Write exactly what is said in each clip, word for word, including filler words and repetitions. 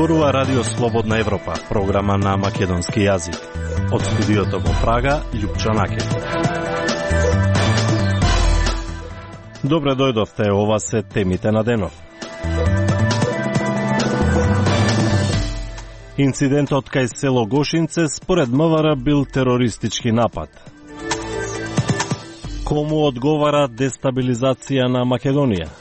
зборува Радио Слободна Европа, програма на македонски јазик. Од студиото во Прага, Љупчо Накев. Добре дојдовте, ова се темите на денов. Инцидентот кај село Гошинце според МВР бил терористички напад. Кому одговара дестабилизација на Македонија?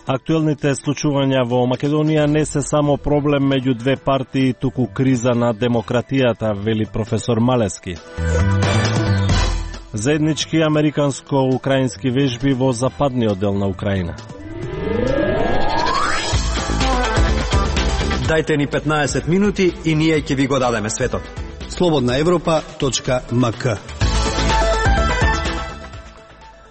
Актуелните случувања во Македонија не се само проблем меѓу две партии, туку криза на демократијата, вели професор Малески. Заеднички американско-украински вежби во западниот дел на Украина. Дајте ни петнаесет минути и ние ќе ви го дадеме светот. слободна европа точка ем ка.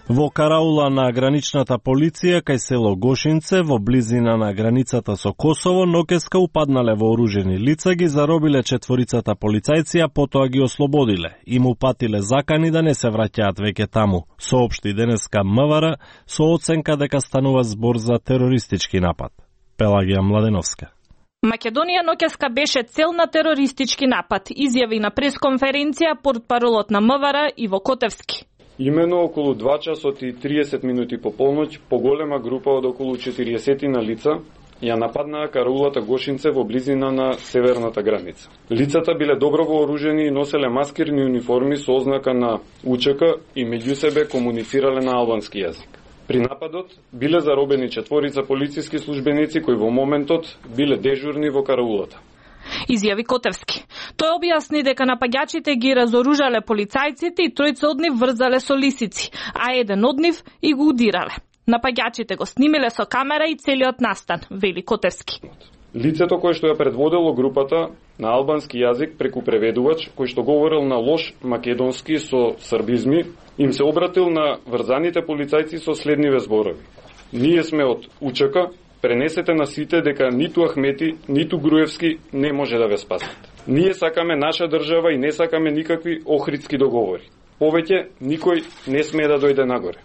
Во караула на граничната полиција кај село Гошинце во близина на границата со Косово ноќеска упаднале вооружени лица, ги заробиле четворицата полицајци, а потоа ги ослободиле. Им упатиле закани да не се враќаат веќе таму. Соопшти денеска МВР со оценка дека станува збор за терористички напад. Пелагија Младеновска. Македонија ноќеска беше цел на терористички напад, изјави на пресконференција портпаролот на МВР Иво Котевски. Имено околу два часот и триесет минути по полноќ, поголема група од околу четириесет на лица ја нападнаа караулата Гошинце во близина на северната граница. Лицата биле добро вооружени и носеле маскирни униформи со ознака на УЧК и меѓу себе комуницирале на албански јазик. При нападот биле заробени четворица полициски службеници кои во моментот биле дежурни во караулата. Изјави Котевски. Тој објасни дека напаѓачите ги разоружале полицајците и тројца од нив врзале со лисици, а еден од нив и го удирале. Напаѓачите го снимиле со камера и целиот настан, вели Котевски. Лицето кое што ја предводело групата на албански јазик преку преведувач, кој што говорил на лош македонски со србизми, им се обратил на врзаните полицајци со следниве зборови. Ние сме од УЧК, пренесете на сите дека ниту Ахмети, ниту Груевски не може да ве спасат. Ние сакаме наша држава и не сакаме никакви охридски договори. Повеќе никој не смее да дојде нагоре.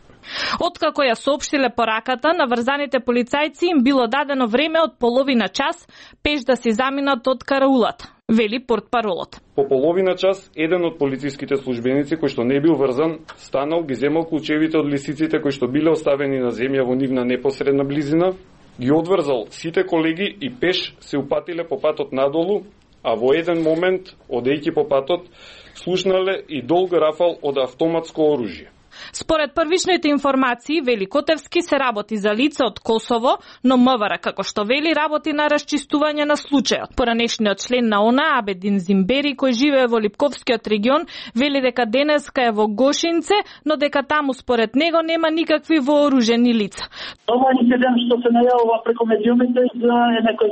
Откако ја соопштиле пораката, на врзаните полицајци им било дадено време од половина час пеш да се заминат од караулата, вели портпаролот. По половина час, еден од полициските службеници кој што не бил врзан, станал, ги земал клучевите од лисиците кои што биле оставени на земја во нивна непосредна близина, ги одврзал сите колеги и пеш се упатиле по патот надолу, а во еден момент, одејќи по патот, слушнале и долг рафал од автоматско оружје. Според првичните информации, вели Котевски, се работи за лице од Косово, но МВР, како што вели, работи на расчистување на случајот. Поранешниот член на ОНА, Абедин Зимбери, кој живее во Липковскиот регион, вели дека денеска е во Гошинце, но дека таму според него нема никакви вооружени лица. Ова инцидент што се најавува преку медиумите за некој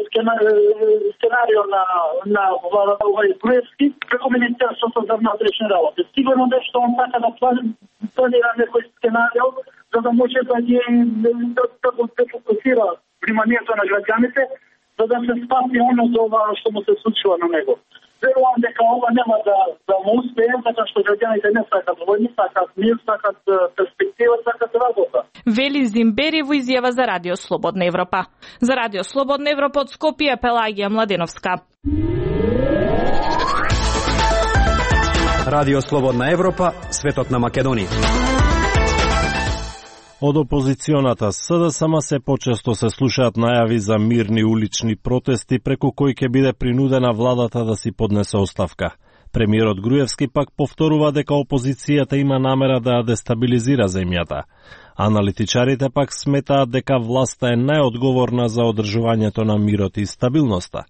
сценарио на на овој Груевски преку Министерството за внатрешни работи. Сигурно нешто он така да планира некој сценарио за да може да ги да, да го фокусира вниманието на граѓаните за да се спаси оно за ова што му се случува на него. Верувам дека ова нема да да му успее, затоа што граѓаните не сакат војни, сакат мир, сакат перспектива, сакат работа. Вели Зимбери во изјава за Радио Слободна Европа. За Радио Слободна Европа од Скопје, Пелагија Младеновска. Радио Слободна Европа, светот на Македонија. Од опозиционата СДСМ се почесто се слушаат најави за мирни улични протести преку кои ќе биде принудена владата да си поднесе оставка. Премиерот Груевски пак повторува дека опозицијата има намера да ја дестабилизира земјата. Аналитичарите пак сметаат дека власта е најодговорна за одржувањето на мирот и стабилноста.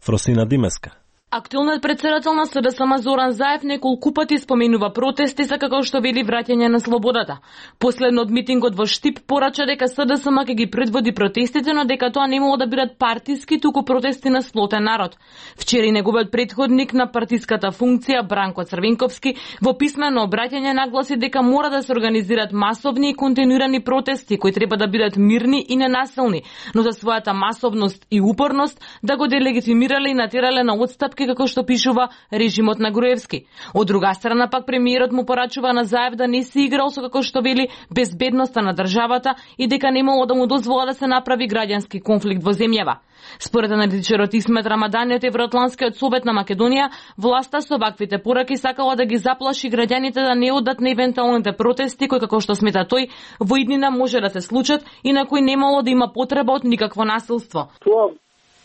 Фросина Димеска. Актуелниот претседател на СДСМ Зоран Заев неколку пати споменува протести за како што вели враќање на слободата. Последно од митингот во Штип порача дека СДСМ ќе ги предводи протестите, но дека тоа не може да бидат партиски, туку протести на сплотен народ. Вчера неговиот претходник на партиската функција Бранко Црвенковски во писмено обраќање нагласи дека мора да се организираат масовни и континуирани протести кои треба да бидат мирни и ненасилни, но за својата масовност и упорност да го делегитимирале и натерале на отстапки Македонски како што пишува режимот на Груевски. Од друга страна пак премиерот му порачува на Заев да не си играл со како што вели безбедноста на државата и дека немало да му дозвола да се направи граѓански конфликт во земјава. Според аналитичарот Исмет Рамадани од Евроатланскиот совет на Македонија, власта со ваквите пораки сакала да ги заплаши граѓаните да не одат на евентуалните протести кои, како што смета тој, во иднина може да се случат и на кои немало да има потреба од никакво насилство. Тоа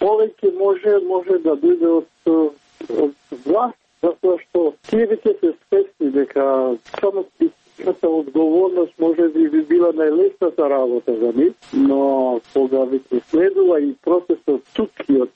повеќе може може да биде од, од власт, затоа што тие веќе се свесни дека само политичката одговорност може би би била најлесната работа за нив, но кога веќе следува и процесот тук и од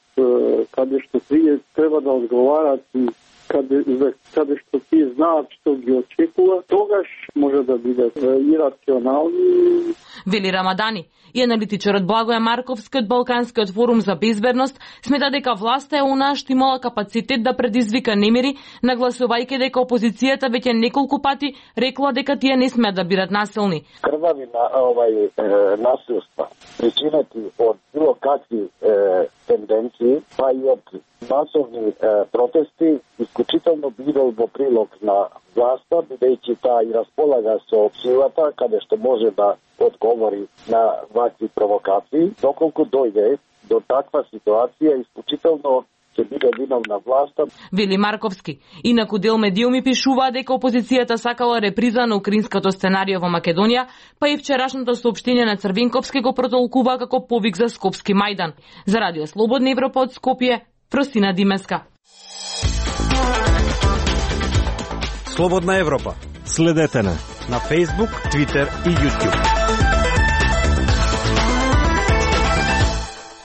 каде што тие треба да одговарат и каде, за каде што тие знаат што ги очекува, тогаш може да бидат ирационални. Вели Рамадани. И аналитичарот Благоја Марковски од Балканскиот форум за безбедност смета дека власта е онаа што имала капацитет да предизвика немири, нагласувајќи дека опозицијата веќе неколку пати рекла дека тие не смеат да бидат насилни. Крвави на овај е, насилства, причинати од било какви е, тенденции, па и од масовни е, протести, исклучително бидел во прилог на власта, бидејќи таа и располага со силата, каде што може да одговори на вакви провокации. Доколку дојде до таква ситуација, исклучително ќе биде виновна власта. Вели Марковски. Инаку дел медиуми пишуваа дека опозицијата сакала реприза на украинското сценарио во Македонија, па и вчерашното соопштение на Црвинковски го протолкува како повик за Скопски мајдан. За Радио Слободна Европа од Скопје, Фростина Димеска. Слободна Европа. Следете на на Facebook, Twitter и YouTube.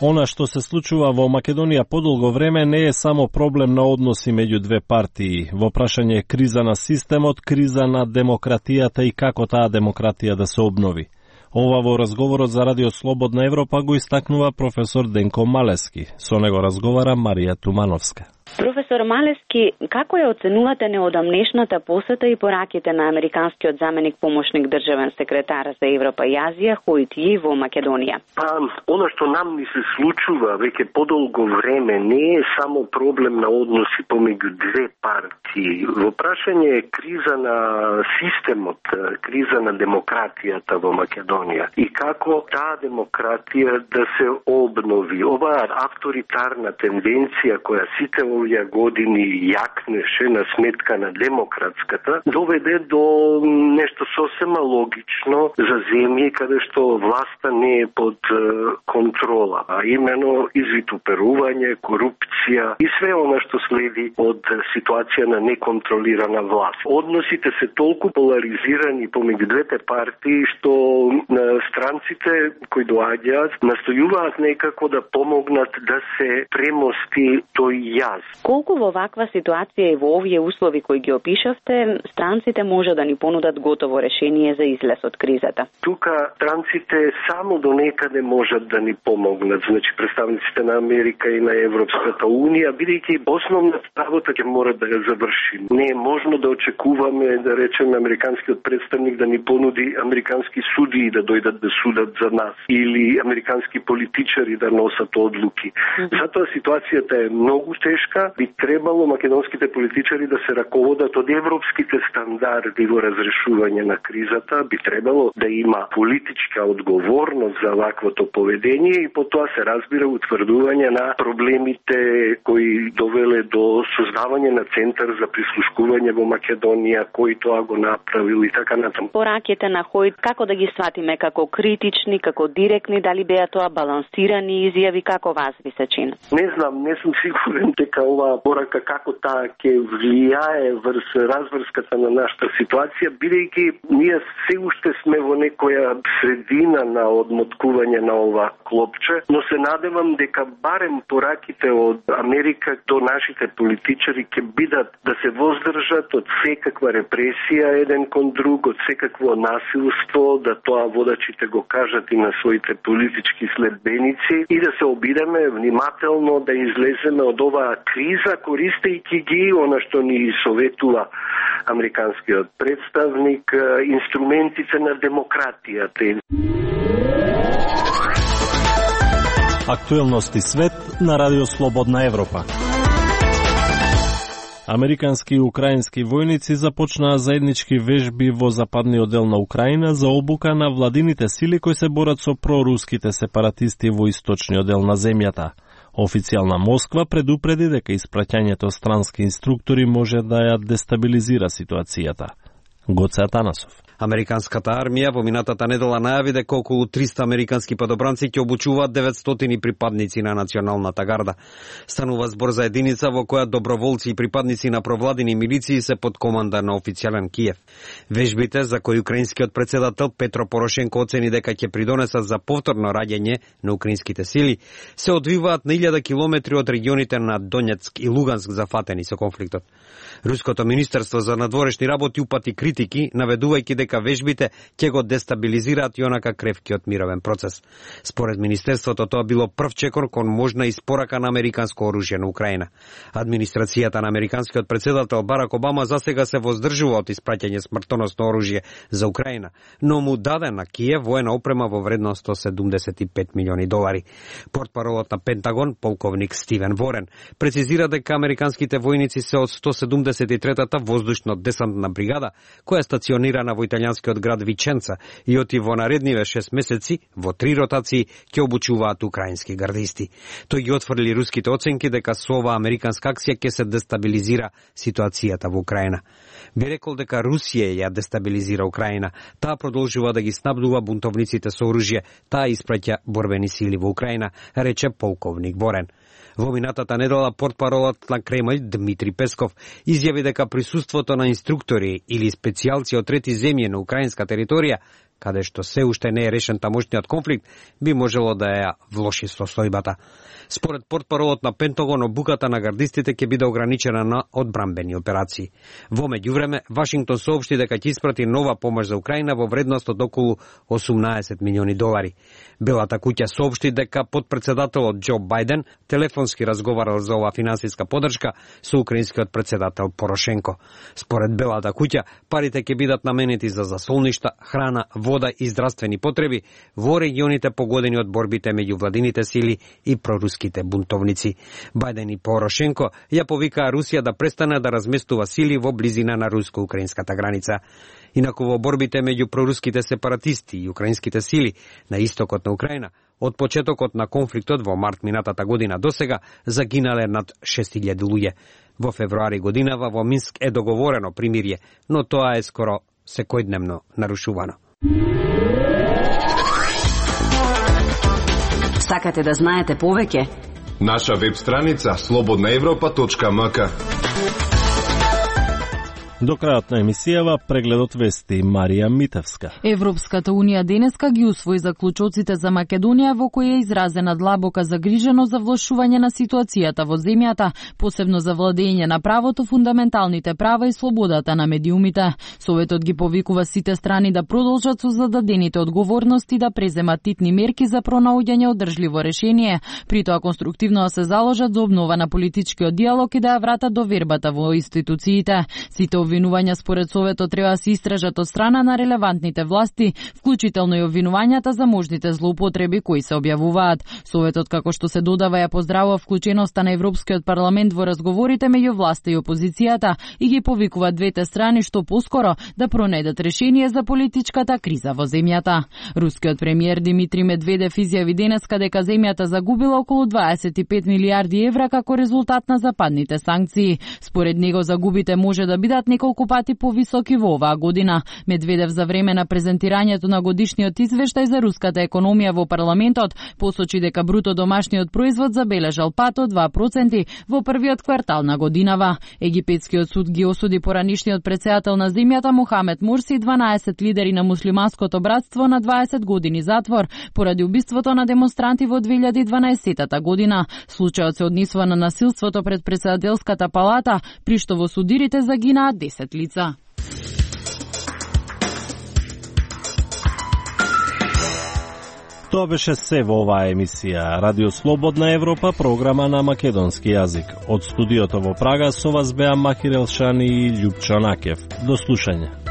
Она што се случува во Македонија подолго време не е само проблем на односи меѓу две партии. Во прашање е криза на системот, криза на демократијата и како таа демократија да се обнови. Ова во разговорот за Радио Слободна Европа го истакнува професор Денко Малески. Со него разговара Марија Тумановска. Професор Малески, како ја оценувате неодамнешната посета и пораките на американскиот заменик помошник државен секретар за Европа и Азија Хојт Ји во Македонија? Па, она што нам ни се случува веќе подолго време не е само проблем на односи помеѓу две партии. Во прашање е криза на системот, криза на демократијата во Македонија и како таа демократија да се обнови. Оваа авторитарна тенденција која сите овие години јакнеше на сметка на демократската, доведе до нешто сосема логично за земји каде што власта не е под е, контрола, а имено извитуперување, корупција и све она што следи од ситуација на неконтролирана власт. Односите се толку поларизирани помеѓу двете партии што странците кои доаѓаат настојуваат некако да помогнат да се премости тој јаз. Колку во ваква ситуација и во овие услови кои ги опишавте, странците може да ни понудат готово решение за излез од кризата? Тука странците само до некаде можат да ни помогнат, значи представниците на Америка и на Европската Унија, бидејќи основната работа ќе мора да ја завршим. Не е можно да очекуваме, да речеме, американскиот представник да ни понуди американски судии да дојдат да судат за нас или американски политичари да носат одлуки. Mm-hmm. Затоа ситуацијата е многу тешка. Би требало македонските политичари да се раководат од европските стандарди во разрешување на кризата. Би требало да има политичка одговорност за ваквото поведение и потоа се разбира утврдување на проблемите кои довеле до создавање на центар за прислушкување во Македонија, кој тоа го направил и така натаму. Пораките на Хојт, како да ги сватиме, како критични, како директни, дали беа тоа балансирани изјави, како вас ви се чини? Не знам, не сум сигурен дека оваа порака како таа ќе влијае врз разврската на нашата ситуација, бидејќи ние се уште сме во некоја средина на одмоткување на ова клопче, но се надевам дека барем пораките од Америка до нашите политичари ќе бидат да се воздржат од секаква репресија еден кон друг, од секакво насилство, да тоа водачите го кажат и на своите политички следбеници и да се обидеме внимателно да излеземе од оваа криза, користејќи ги она што ни советува американскиот представник, инструментите на демократијата. Актуелности свет на Радио Слободна Европа. Американски и украински војници започнаа заеднички вежби во западниот дел на Украина за обука на владините сили кои се борат со проруските сепаратисти во источниот дел на земјата. Официјална Москва предупреди дека испраќањето странски инструктори може да ја дестабилизира ситуацијата. Гоце Атанасов. Американската армија во минатата недела најави дека околу триста американски падобранци ќе обучуваат деветстотини припадници на националната гарда. Станува збор за единица во која доброволци и припадници на провладини милиции се под команда на официјален Киев. Вежбите, за кои украинскиот председател Петро Порошенко оцени дека ќе придонесат за повторно раѓање на украинските сили, се одвиваат на илјада километри од регионите на Донецк и Луганск зафатени со конфликтот. Руското министерство за надворешни работи упати критики, наведувајќи дека вежбите ќе го дестабилизираат и онака кревкиот мировен процес. Според министерството тоа било прв чекор кон можна испорака на американско оружје на Украина. Администрацијата на американскиот председател Барак Обама засега се воздржува од испраќање смртоносно оружје за Украина, но му даде на Киев воена опрема во вредност сто седумдесет и пет милиони долари. Портпаролот на Пентагон, полковник Стивен Ворен, прецизира дека американските војници се од сто седумдесет и третата воздушно-десантна бригада, која е стационирана во италијанскиот град Виченца и оти во наредниве шест месеци во три ротации ќе обучуваат украински гардисти. Тој ги отфрли руските оценки дека со оваа американска акција ќе се дестабилизира ситуацијата во Украина. Би рекол дека Русија ја дестабилизира Украина. Таа продолжува да ги снабдува бунтовниците со оружје, таа испраќа борбени сили во Украина, рече полковник Ворен. Во минатата недела портпаролот на Кремљ Дмитри Песков изјави дека присуството на инструктори или специјалци од трети земји на украинска територија, каде што се уште не е решен тамошниот конфликт, би можело да ја влоши состојбата. Според портпаролот на Пентагон, обуката на гардистите ќе биде ограничена на одбранбени операции. Во меѓувреме, Вашингтон соопшти дека ќе испрати нова помош за Украина во вредност од околу осумнаесет милиони долари. Белата куќа соопшти дека подпредседателот Џо Бајден телефонски разговарал за оваа финансиска подршка со украинскиот председател Порошенко. Според Белата куќа, парите ќе бидат наменети за засолништа, храна, вода и здравствени потреби во регионите погодени од борбите меѓу владините сили и проруските бунтовници. Бајден и Порошенко ја повикаа Русија да престане да разместува сили во близина на руско-украинската граница. Инаку во борбите меѓу проруските сепаратисти и украинските сили на истокот на Украина, од почетокот на конфликтот во март минатата година досега загинале над шест илјади луѓе. Во февруари годинава во Минск е договорено примирие, но тоа е скоро секојдневно нарушувано. Сакате да знаете повеќе? Наша веб страница слободна европа точка ем ка. До крајот на емисијава прегледот вести Марија Митевска. Европската унија денеска ги усвои заклучоците за Македонија во кои е изразена длабока загриженост за влошување на ситуацијата во земјата, посебно за владење на правото, фундаменталните права и слободата на медиумите. Советот ги повикува сите страни да продолжат со зададените одговорности да преземат титни мерки за пронаоѓање одржливо решение, при тоа конструктивно да се заложат за обнова на политичкиот диалог и да ја вратат довербата во институциите. Сите обвинувања според Советот треба да се истражат од страна на релевантните власти, вклучително и обвинувањата за можните злоупотреби кои се објавуваат. Советот, како што се додава, ја поздравува вклученоста на Европскиот парламент во разговорите меѓу власта и опозицијата и ги повикува двете страни што поскоро да пронајдат решение за политичката криза во земјата. Рускиот премиер Димитри Медведев изјави денеска дека земјата загубила околу дваесет и пет милијарди евра како резултат на западните санкции. Според него загубите може да бидат неколку пати повисоки во оваа година. Медведев за време на презентирањето на годишниот извештај за руската економија во парламентот посочи дека бруто домашниот производ забележал пат од два проценти во првиот квартал на годинава. Египетскиот суд ги осуди поранишниот претседател на земјата Мохамед Мурси и дванаесет лидери на муслиманското братство на дваесет години затвор поради убиството на демонстранти во две илјади и дванаесетта година. Случајот се однесува на насилството пред претседателската палата, при што во судирите загинаа десет лица. Тоа беше се во оваа емисија. Радио Слободна Европа, програма на македонски јазик. Од студиото во Прага со вас беа Махир Елшани и Љупчо Накев. До слушање.